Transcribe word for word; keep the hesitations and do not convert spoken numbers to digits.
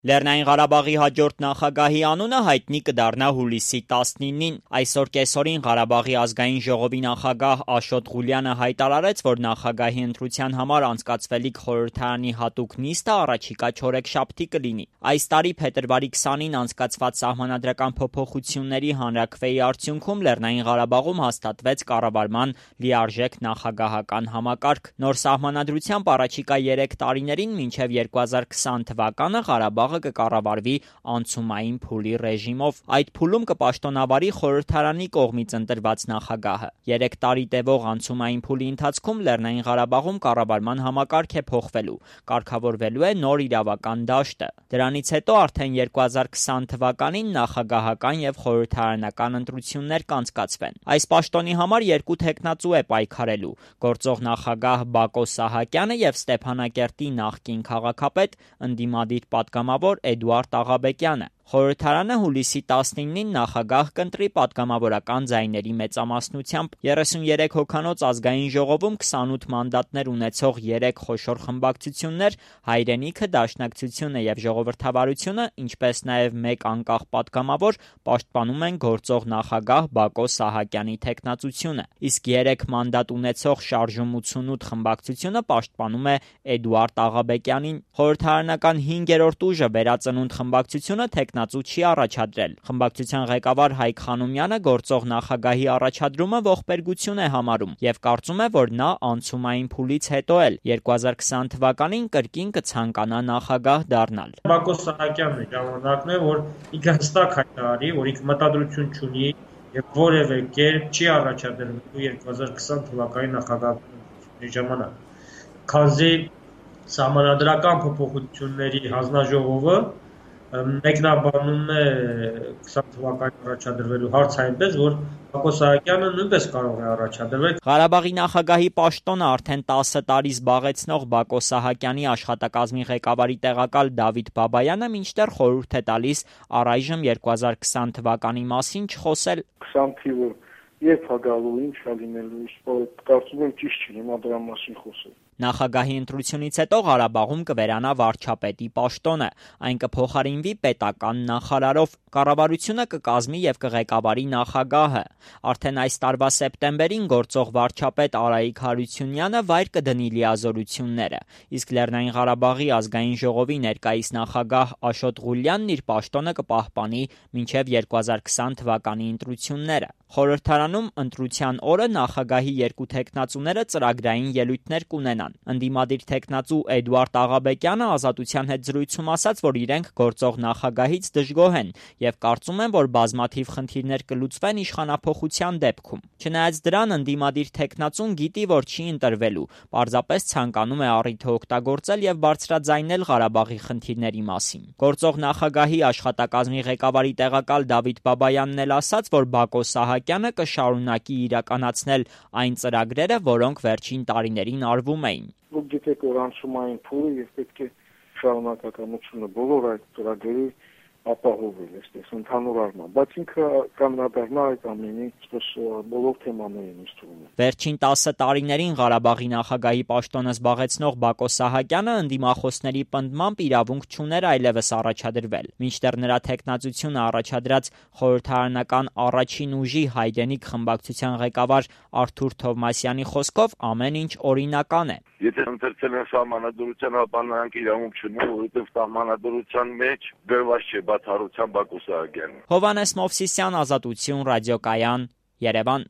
Լեռնային Ղարաբաղի հաջորդ նախագահի անունը հայտնի կդառնա հուլիսի տասնինին։ Այսօր կեսօրին Ղարաբաղի ազգային ժողովի նախագահ Աշոտ Ղուլյանը հայտարարեց, որ նախագահի ընտրության համար անցկացվելիք խորհրդարանի հատուկ նիստը առաջիկա չորեքշաբթի կլինի։ Այս տարի փետրվարի քսանին անցկացված սահմանադրական փոփոխությունների հանրաքվեի արդյունքում Լեռնային Ղարաբաղում հաստատվեց կառավարման լիարժեք նախագահական համակարգ։ Նոր սահմանադրությամբ առաջիկա երեք տարիներին մինչև երկու հազար քսան թվականը Ղարաբաղ կկառավարվի անցումային փուլի ռեժիմով։ Այդ փուլում կպաշտոնավարի խորհրդարանի կողմից ընտրված նախագահը։ Երեք տարի տևող անցումային փուլի ընթացքում Լեռնային Ղարաբաղում կառավարման համակարգ է փոխվելու, կարգավորվելու է նոր իրավական դաշտը։ Դրանից հետո արդեն երկու հազար քսան թվականին նախագահական եւ խորհրդարանական ընտրություններ կանցկացվեն։ Այս պաշտոնի համար երկու թեկնածու է պայքարելու՝ գործող նախագահ Բակո Սահակյանը եւ Ստեփանակերտի նախկին քաղաքապետ, ընդդիմադիր պատգամավոր Էդուարդ Աղաբեկյանը։ Խորհրդարանը հուլիսի տասնինին նախագահ կընտրի պատգամավորական ձայների մեծամասնությամբ։ երեսուներեք հոգանոց ազգային ժողովում քսանութ մանդատներ ունեցող երեք խոշոր խմբակցություններ՝ Հայրենիքը, Դաշնակցությունը եւ Ժողովրդավարությունը, ինչպես նաեւ մեկ անկախ պատգամավոր, պաշտպանում են գործող նախագահ Բակո Սահակյանի թեկնածությունը, իսկ երեք մանդատ ունեցող Շարժում ութսունութ խմբակցությունը պաշտպանում է Էդուարդ Աղաբեկյանին։ Խորհրդարանական հինգերորդ ուժը Վերածնունդ խմբակցությունը թեկնածու չի առաջադրել։ Խմբակցության ղեկավար Հայկ Խանոմյանը գործող նախագահի առաջադրումը ողբերգություն է համարում եւ կարծում է, որ նա անցումային փուլից հետո էլ երկու հազար քսան թվականին կրկին կցանկանա նախագահ դառնալ։ Բակո Սահակյանն է ժամանակն է, որ ինքը հստակ հայտարարի, որ ինքը մտադրություն չունի եւ որևէ կերպ չի առաջադրվելու երկու հազար քսան թվականի նախագահի ժամանակ։ Քանզի սահմանադրական փոփոխությունների հանձնաժողովը մեկնաբանում է քսան թվականին առաջադրվելու հարց այնպես, որ Բակո Սահակյանը նույնպես կարող է առաջադրվել։ Ղարաբաղի նախագահի պաշտոնը արդեն տասը տարի զբաղեցնող Բակո Սահակյանի աշխատակազմի ղեկավարի տեղակալ Դավիթ Բաբայանը մինչդեռ խորհուրդ է տալիս առայժմ երկու հազար քսան թվականի մասին չխոսել։ քսան թիվը երբ է գալու, ինչ է լինելու, կարծում եմ ճիշտ չի հիմա դրա մասին խոսել։ Նախագահի ընտրությունից հետո Ղարաբաղում կվերանա վարչապետի պաշտոնը, այն կփոխարինվի պետական նախարարով, կառավարությունը կկազմի եւ կղեկավարի նախագահը։ Արդեն այս տարվա սեպտեմբերին գործող վարչապետ Արայիկ Հարությունյանը վայր կդնի լիազորությունները, իսկ Լեռնային Ղարաբաղի ազգային ժողովի ներկայիս նախագահ Աշոտ Ղուլյանն իր պաշտոնը կպահպանի մինչև երկու հազար քսան թվականի ընտրությունները։ Խորհրդարանում ընտրության օրը նախագահի երկու թեկնածուները ծրագրային ելույթներ կունենան։ Ընդդիմադիր թեկնածու Էդուարդ Աղաբեկյանը Ազատության հետ զրույցում ասաց, որ իրենք գործող նախագահից դժգոհ են եւ կարծում են, որ բազմաթիվ խնդիրներ կլուծվեն իշխանափոխության դեպքում։ Չնայած դրան, ընդդիմադիր թեկնածուն գիտի, որ չի ընտրվելու, պարզապես ցանկանում է առիթը օգտագործել եւ բարձրաձայնել Ղարաբաղի խնդիրների մասին։ Գործող նախագահի աշխատակազմի ղեկավարի տեղակալ Դավիթ Բաբայանն էլ ասաց, որ Բակո Սահակյանը կշարունակի իրականացնել այն ծրագրերը, որոնք վերջին տարիներին արվում էին։ Դուք գիտեք, որ անցումային փուլը եւ պետք է շարունակականությունը բոլոր այդ ծրագրերի ապահովել, այսպես ընդհանուր առմամբ, բայց ինքը կանդրադառնա այդ ամենի, այսպես բոլոր թեմաներին ինձ թվում է։ Վերջին տասը տարիներին Ղարաբաղի նախագահի պաշտոնը զբաղեցնող Բակո Սահակյանը ընդդիմախոսների պնդմամբ իրավունք չուներ այլևս առաջադրվել, մինչդեռ նրա թեկնածությունը առաջադրած խորհրդարանական առաջին ուժի Հայրենիք խմբակցության ղեկավար Արթուր Թովմասյանի խոսքով ամեն ինչ օրինական է։ Եթե ընտրել են սահմանադրության, ապա նրանք իրավունք չունեն, որովհետև սահմանադրության մեջ գրված չէ բացառությամբ Բակո Սահակյանը։ Հովհաննես Մովսիսյան, Ազատություն, ռադիոկայան, Երևան։